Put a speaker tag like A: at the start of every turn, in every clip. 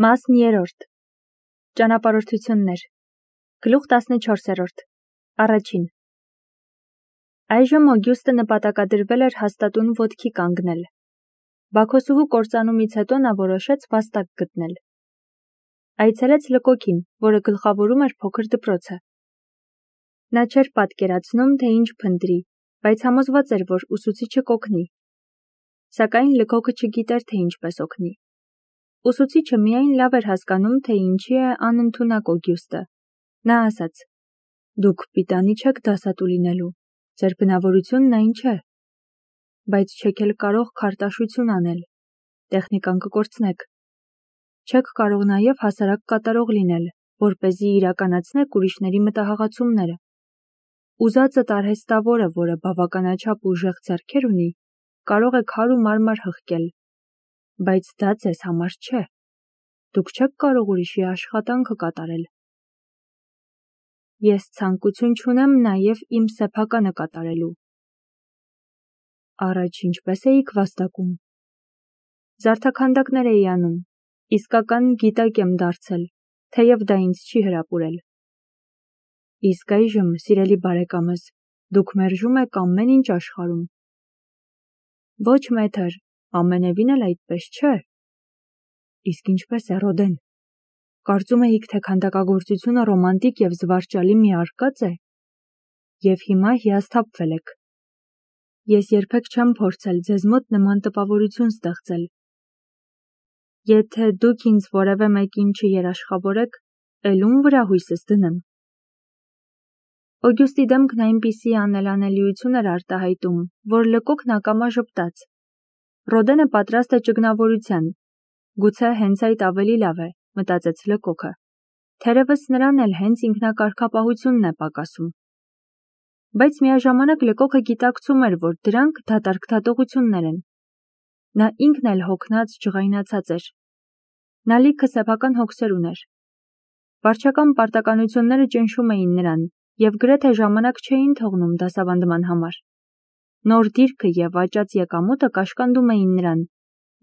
A: Մաս 3. Ճանապարհորդություններ։ Գլուխ 14. Առաջին։ Այժմ Օգյուստը նպատակադրվել էր հաստատուն ոտքի կանգնել։ Բաքոսուհու կործանումից հետո նա որոշեց վաստակ գտնել։ Այցելեց Լկոկին, որը գլխավորում էր փոքր դպրոցը։ Նա չէր պատկերացնում, թե ինչ փնտրի, բայց համոզված էր, որ ուսուցիչը կօգնի։ Սակայն Լկոկը չգիտեր, թե ինչպես օգնի։ Ուսուցիչը միայն լավ էր հասկանում, թե ինչի է անընդունակ Օգյուստը։ Նա ասաց. «Դուք պիտանի չեք դասատու լինելու, ձեր բնավորությունն այն չէ, բայց չեք էլ կարող քարտաշություն անել, տեխնիկան կկորցնեք։ Չեք կարող նաև հասարակ կատարող լինել, որպեսզի իրականացնեք ուրիշների մտահղացումները։ Ուզածդ արհեստավորը, որը բավականաչափ ուժեղ ձեռքեր ունի, կարող է քար ու մարմար հղկել, բայց դա ձեզ համար չէ։ Դուք չեք կարող ուրիշի աշխատանքը կատարել։ Ես ցանկություն չունեմ նաև իմ սեփականը կատարելու»։ Առաջ ինչպես էիք վաստակում։ Զարդաքանդակներ էի անում, իսկական գիտակ եմ դարձել, թեև դա ինձ չի հրապուրել։ Իսկ այժմ, սիրելի բարեկամս, դուք մերժում եք ամեն ինչ աշխարհում։ Ոչ մեթր, ամենևին էլ այդպես չէ։ Իսկ ինչպես է Ռոդեն։ Կարծում էիք, թե քանդակագործությունը ռոմանտիկ և զվարճալի մի արկած է։ Եվ հիմա հիասթափվել եք։ Ես երբեք չեմ փորձել ձեզ մոտ նման տպավորություն ստեղծել։ Եթե դուք ինձ որևէ մեկին չերաշխավորեք, էլ ում վրա հույսս դնեմ։ Օգյուստի դեմքն այնպիսի անելանելիություն էր արտահայտում, որ Լկոկն ակամա ժպտաց։ Ռոդենը պատրաստ է ճգնավորության։ Գուցե հենց այդ ավելի լավ է, մտածեց Լկոկը։ Թերևս նրան էլ հենց ինքնակարգապահությունն է պակասում։ Բայց միաժամանակ Լկոկը գիտակցում էր, որ դրանք դատարկ դատողություններ են։ Նա ինքն էլ հոգնած ջղայնացած էր։ Նա լիքը սեփական հոգսեր ուներ։ Վարչական պարտականությունները ճնշում էին նրան և գրեթե ժամանակ չէին թողնում դասավանդման համար։ Նոր դիրքը և աճած եկամուտը կաշկանդում էին նրան,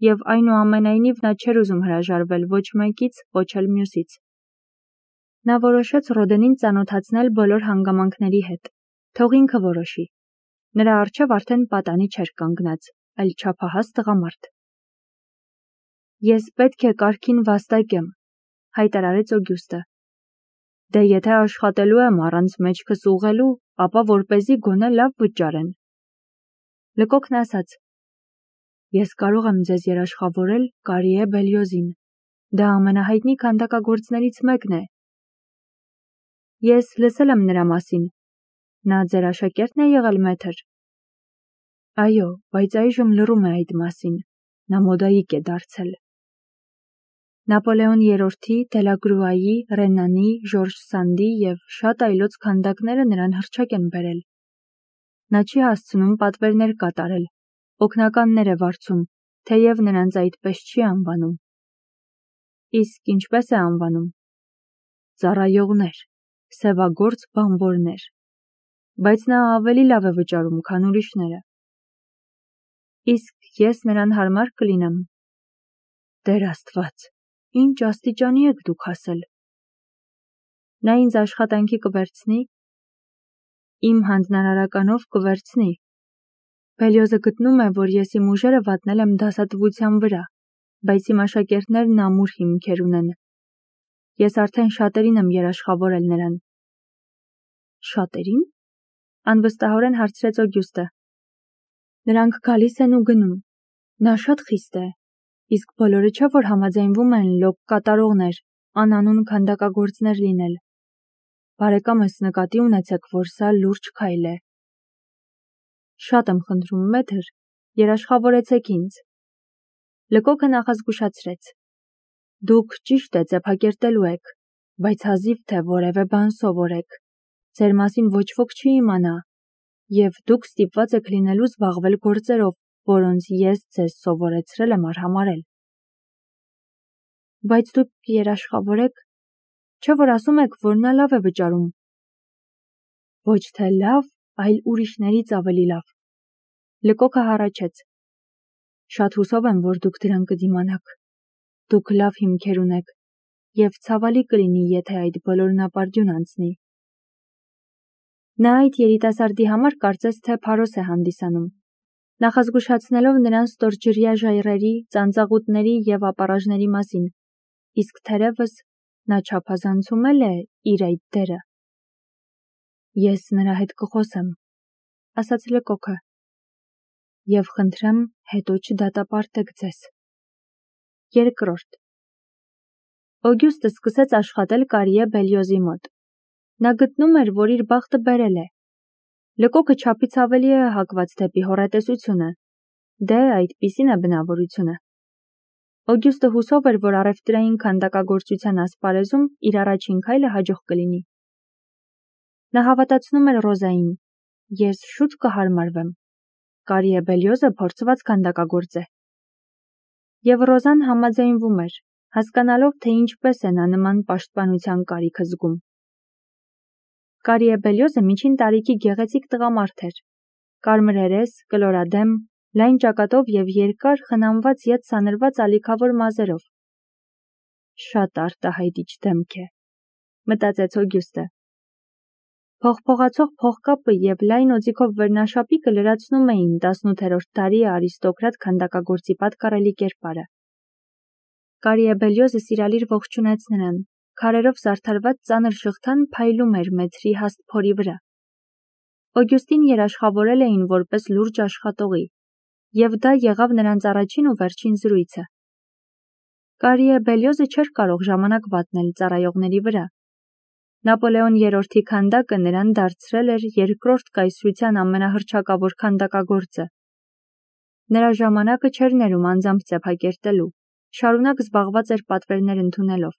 A: և այնուամենայնիվ նա չէր ուզում հրաժարվել ոչ մեկից, ոչ էլ մյուսից։ Նա որոշեց Ռոդենին ծանոթացնել բոլոր հանգամանքների հետ, թող ինքը որոշի։ Նրա առջև արդեն պատանի չէր կանգնած, այլ չափահաս տղամարդ։ Ես պետք է կարգին վաստակեմ, հայտարարեց Օգյուստը։ Դե եթե աշխատելու եմ առանց մեջքս ուղղելու, ապա որպեսզի գոնե լավ վճարեն։ Լկոկն ասաց. Ես կարող եմ ձեզ երաշխավորել Կարիե Բելյոզին։ Դա ամենահայտնի քանդակագործներից մեկն է։ Ես լսել եմ նրա մասին։ Նա ձեր աշակերտն է եղել, մեթր։ Այո, բայց այժմ լռում է այդ մասին։ Նա մոդայիկ է դարձել։ Նապոլեոն III-ի, Դելագրուայի, Ռենանի, Ժորժ Սանդի և շատ այլոց քանդակները նրան հռչակ են բերել։ Նա չի հասցնում պատվերներ կատարել, օգնականներ է վարձում, թեև նրանց այդպես չի անվանում։ Իսկ ինչպես է անվանում։ Ծառայողներ, սևագործ բանվորներ։ Բայց նա ավելի լավ է վճարում, քան ուրիշները։ Իսկ ես նրան հարմար կլինեմ։ Տեր Աստված, ինչ աստիճանի եք դուք հասել։ Նա ինձ աշխատանքի կվերցնի։ Իմ հանձնարարականով կվերցնի։ Բելյոզը գտնում է, որ ես իմ ուժերը վատնել եմ դասատվության վրա, բայց իմ աշակերտներն ամուր հիմքեր ունեն։ Ես արդեն շատերին եմ երաշխավորել նրան։ Շատերին։ Անվստահորեն հարցրեց Օգյուստը։ Նրանք գալիս են ու գնում։ Նա շատ խիստ է, իսկ բոլորը չէ, որ համաձայնվում են լոկ կատարողներ, անանուն քանդակագործներ լինել։ Բարեկամս, նկատի ունեցեք, որ սա լուրջ քայլ է։ Շատ եմ խնդրում, մեթր, երաշխավորեցեք ինձ։ Լկոկը նախազգուշացրեց. Դուք ճիշտ է ձեփակերտելու եք, բայց հազիվ թե որևէ բան սովորեք։ Ձեր մասին ոչ ոք չի իմանա, և դուք ստիպված եք լինելու զբաղվել գործերով, որոնց ես ձեզ սովորեցրել եմ արհամարհել։ Բայց դուք երաշխավորեք, չէ՞ որ ասում եք, որ նա լավ է վճարում։ Ոչ թե լավ, այլ ուրիշներից ավելի լավ։ Լկոկը հառաչեց. Շատ հուսով եմ, որ դուք դրան կդիմանաք։ Դուք լավ հիմքեր ունեք, եւ ցավալի կլինի, եթե այդ բոլորն ապարդյուն անցնի։ Նա այդ երիտասարդի համար կարծես թե փարոս է հանդիսանում, նախազգուշացնելով նրան ստորջրյա ժայռերի, ծանծաղուտների եւ ապարաժների մասին, իսկ թերևս նա չափազանցում է իր այդ դերը։ Ես նրա հետ կխոսեմ, ասաց Լկոկը, եւ խնդրեմ հետո չդատապարտեք ձեզ։ Երկրորդ Օգյուստը սկսեց աշխատել Կարիե Բելյոզի մոտ։ Նա գտնում էր, որ իր բախտը բերել է։ Լկոկը չափից ավելի է հակված դեպի հոռետեսությունը, դե այդպիսին է բնավորությունը։ Օգյուստը հուսով էր, որ առևտրային քանդակագործության ասպարեզում իր առաջին քայլը հաջող կլինի։ Նա հավատացնում էր Ռոզային. ես շուտ կհարմարվեմ։ Կարիե Բելյոզը փորձված քանդակագործ է։ Եվ Ռոզան համաձայնվում էր, հասկանալով, թե ինչպես է նա նման պաշտպանության կարիքը զգում։ Կարիե Բելյոզը միջին տարիքի գեղեցիկ տղամարդ էր։ Կարմրերես, կլորադեմ, լայն ճակատով եւ երկար խնամված ետ սանրված ալիքավոր մազերով։ Շատ արտահայտիչ դեմք է, մտածեց Օգյուստը։ Փողփողացող փողկապը եւ լայն օձիքով վերնաշապիկը լրացնում էին 18-րդ դարի արիստոկրատ քանդակագործի պատկառելի կերպարը։ Կարիե Բելյոզը սիրալիր ողջունեց նրան, քարերով զարդարված ծանր շղթան փայլում էր մեթրի հաստ փորի վրա։ Օգյուստին երաշխավորել էին որպես լուրջ աշխատողի, եւ դա եղավ նրանց առաջին ու վերջին զրույցը։ Կարիե Բելյոզը չէր կարող ժամանակ վատնել ծառայողների վրա։ Նապոլեոն III-ի քանդակը նրան դարձրել էր երկրորդ կայսրության ամենահռչակավոր քանդակագործը։ Նրա ժամանակը չէր ներում անձամբ ծեփակերտելու, շարունակ զբաղված էր պատվերներ ընդունելով։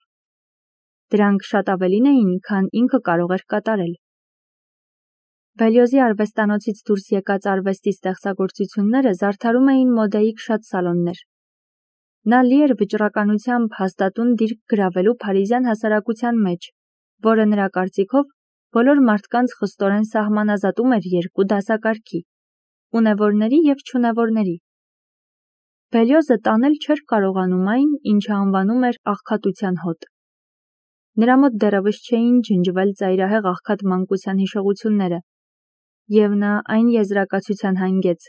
A: Դրանք շատ ավելին էին, քան ինքը կարող էր կատարել։ Բելյոզի արվեստանոցից դուրս եկած արվեստի ստեղծագործությունները զարդարում էին մոդայիկ շատ սալոններ։ Նա լի էր վճռականությամբ հաստատուն դիրք գրավելու փարիզյան հասարակության մեջ, որը նրա կարծիքով բոլոր մարդկանց խստորեն սահմանազատում էր երկու դասակարգի՝ ունևորների եւ չունևորների։ Բելյոզը տանել չէր կարողանում այն, ինչը անվանում էր աղքատության հոտ։ Նրա մոտ դեռևս չէին ջնջվել ծայրահեղ աղքատ մանկության հիշողությունները, եւ նա այն եզրակացության հանգեց,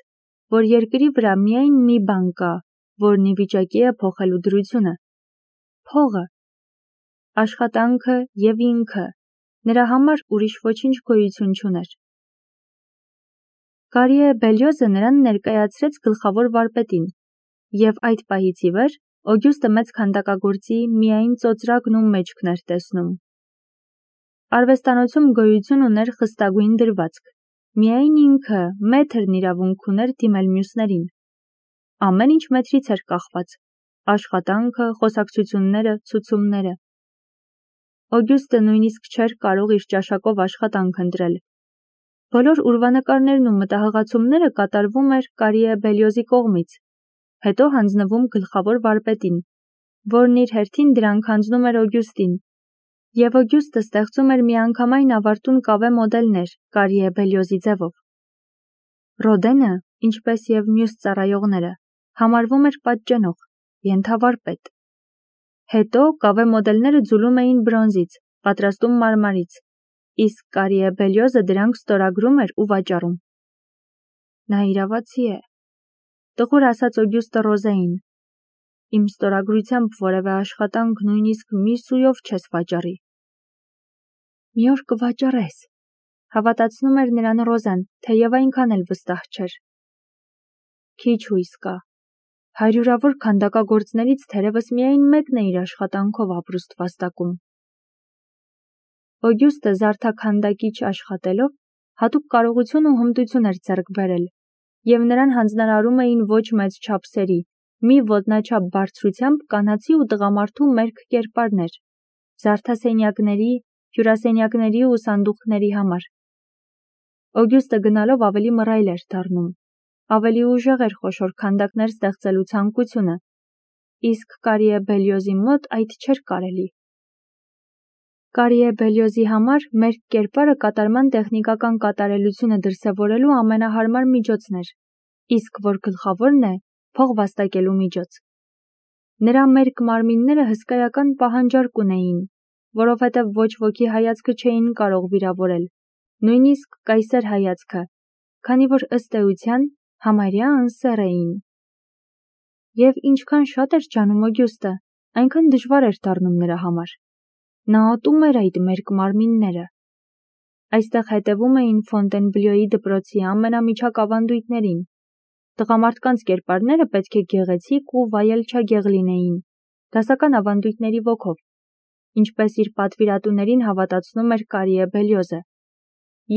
A: որ երկրի վրա միայն մի բան կա, որն ի վիճակի է փոխելու դրությունը՝ փողը, աշխատանքը եւ ինքը, նրա համար ուրիշ ոչինչ գոյություն չուներ։ Կարիե Բելյոզը նրան ներկայացրեց գլխավոր վարպետին, եւ այդ պահից ի վեր Օգյուստը մեծ քանդակագործի միայն ծոծրակն ու մեջքն էր տեսնում։ Արվեստանոցում գոյություն ուներ խստագույն դրվածք, միայն ինքը մեթրն իրավունք ուներ դիմել մյուսներին։ Ամեն ինչ մեթրից էր կախված՝ աշխատանքը, խոսակցությունները, ցուցումները։ Օգյուստը նույնիսկ չէր կարող իր ճաշակով աշխատանք ընտրել։ Բոլոր ուրվանկարներն ու մտահղացումները կատարվում էր Կարիե Բելյոզի կողմից, հետո հանձնվում գլխավոր վարպետին, որն իր հերթին դրանք հանձնում էր Օգյուստին, եւ Օգյուստը ստեղծում էր միանգամայն ավարտուն կավե մոդելներ Կարիե Բելյոզի ձևով։ Ռոդենը, ինչպես եւ մյուս ծառայողները, համարվում էր պատճենող, ենթավարպետ։ Հետո կավե մոդելները ձուլում էին բրոնզից, պատրաստում մարմարից, իսկ Կարիե Բելյոզը դրանք ստորագրում էր ու վաճառում։ Նա իրավացի է, տխուր ասաց Օգյուստը Ռոզային։ Իմ ստորագրությամբ որևէ աշխատանք նույնիսկ մի սույով չես վաճառի։ Մի օր կվաճառես, հավատացնում էր նրան Ռոզան, թեև այնքան էլ վստահ չէր։ Քիչ հույս կա։ Հարյուրավոր քանդակագործներից թերևս միայն մեկն է իր աշխատանքով ապրուստ վաստակում։ Օգյուստը զարդաքանդակիչ աշխատելով հատուկ կարողություն ու հմտություն էր ձեռք բերել, եւ նրան հանձնարարում էին ոչ մեծ չափսերի, մի ոտնաչափ բարձրությամբ կանացի ու տղամարդու մերկ կերպարներ, զարդասենյակների, հյուրասենյակների ու սանդուղքների համար։ Օգյուստը գնալով ավելի մռայլ էր դառնում, ավելի ուժեղ էր խոշոր քանդակներ ստեղծելու ցանկությունը, իսկ Կարիե Բելյոզի մոտ այդ չէր կարելի։ Կարիե Բելյոզի համար մերկ կերպարը կատարման տեխնիկական կատարելությունը դրսևորելու ամենահարմար միջոցն էր, իսկ որ գլխավորն է, փող վաստակելու միջոց։ Նրա մերկ մարմինները հսկայական պահանջարկ ունեին, որովհետև ոչ ոքի հայացքը չէին կարող վիրավորել, նույնիսկ կայսեր հայացքը, քանի որ ըստ էության համարյա անսեռ էին։ Եվ ինչքան շատ էր ջանում Օգյուստը, այնքան դժվար էր դառնում նրա համար։ Նա ատում էր այդ մերկ մարմինները։ Այստեղ հետևում էին Ֆոնտենբլյոյի դպրոցի ամենամիջակ ավանդույթներին։ Տղամարդկանց կերպարները պետք է գեղեցիկ ու վայելչագեղ լինեին, դասական ավանդույթների ոգով, ինչպես իր պատվիրատուներին հավատացնում էր Կարիե Բելիոզը,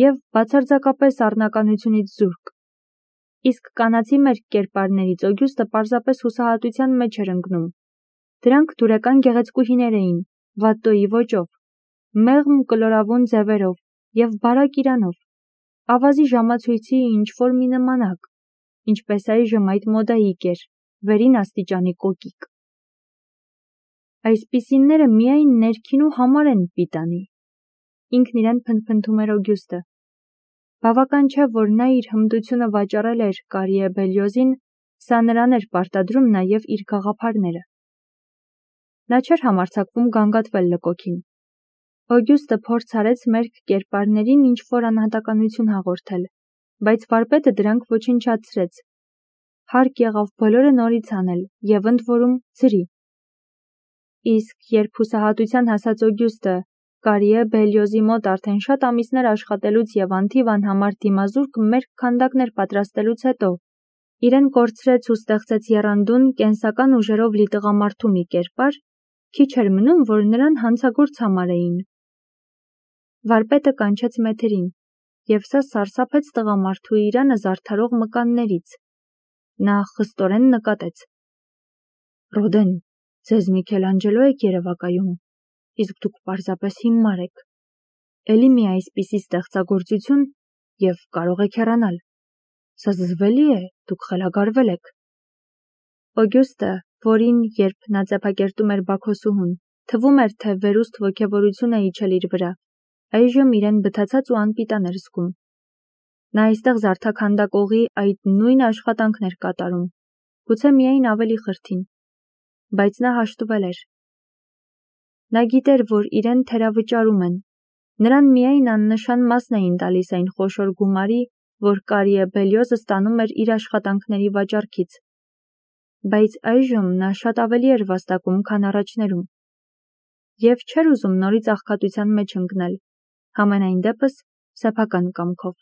A: և բացարձակապես առնականությունից զուրկ։ Իսկ կանացի մերկ կերպարներից Օգյուստը պարզապես հուսահատության մեջ էր ընկնում։ Դրանք դուրեկան գեղեցկուհիներ էին, վատտոյի ոճով, մեղմ կլորավուն ձևերով և բարակ իրանով, ավազի ժամացույցի ինչ-որ մի նմանակ, ինչպես այժմ այդ մոդայիկ էր, վերին աստիճանի կոկիկ։ Այսպիսիները միայն ներքին ու համար են պիտանի, ինքն իրեն փնթփնթում էր Օգյուստը։ Բավական չէ, որ նա իր հմտությունը վաճառել էր Կարիե Բելիոզին, սա նրան էր պարտադրում նաև իր գաղափարները։ Նա չէր համարձակվում գանգատվել լկոքին։ Օգյուստը փորձ արեց մերկ կերպարներին ինչ-որ անհատականություն հաղորդել, բայց վարպետը դրանք ոչնչացրեց։ Հարկ եղավ բոլորը նորից անել և ընդ որում ձրի։ Իսկ երբ հուսահատության հասած Օգյուստը Կարիե Բելիոզի մոտ արդեն շատ ամիսներ աշխատելուց և անթիվ անհամար դիմազուրկ մերկ քանդակներ պատրաստելուց հետո իրեն կորցրեց ու ստեղծեց եռանդուն, կենսական ուժերով լի տղամարդու մի կերպար, քիչ էր մնում, որ նրան հանցագործ համարեին։ Վարպետը կանչեց մեթերին, և սա սարսափեց տղամարդու իրանը զարդարող մկաններից։ Նա խստորեն նկատեց. «Ռոդեն, ձեզ Միքելանջելո եք երևակայում, իսկ դուք պարզապես հիմար եք։ Էլի մի այսպիսի ստեղծագործություն, և կարող եք հեռանալ։ Սա զզվելի է, դուք խելագարվել եք»։ Օգյուստը, որին, երբ նա ծեփակերտում էր Բաքոսուհուն, թվում էր, թե վերուստ ոգևորություն է իջել իր վրա, այժմ իրեն բթացած ու անպիտան էր զգում։ Նա այստեղ զարդաքանդակողի այդ նույն աշխատանքն էր կատարում, գուցե միայն ավելի խրթին, բայց նա հաշտվել էր։ Նա գիտեր, որ իրեն թերավճարում են, նրան միայն աննշան մասն էին տալիս այն խոշոր գումարի, որ Կարիե Բելիոզը ստանում էր իր աշխատանքների վաճառքից։ Բայց այժմ նա շատ ավելի էր վաստակում, քան առաջներում, և չէր ուզում նորից աղքատության մեջ ընկնել, համենայն դեպս սեփական կամքով։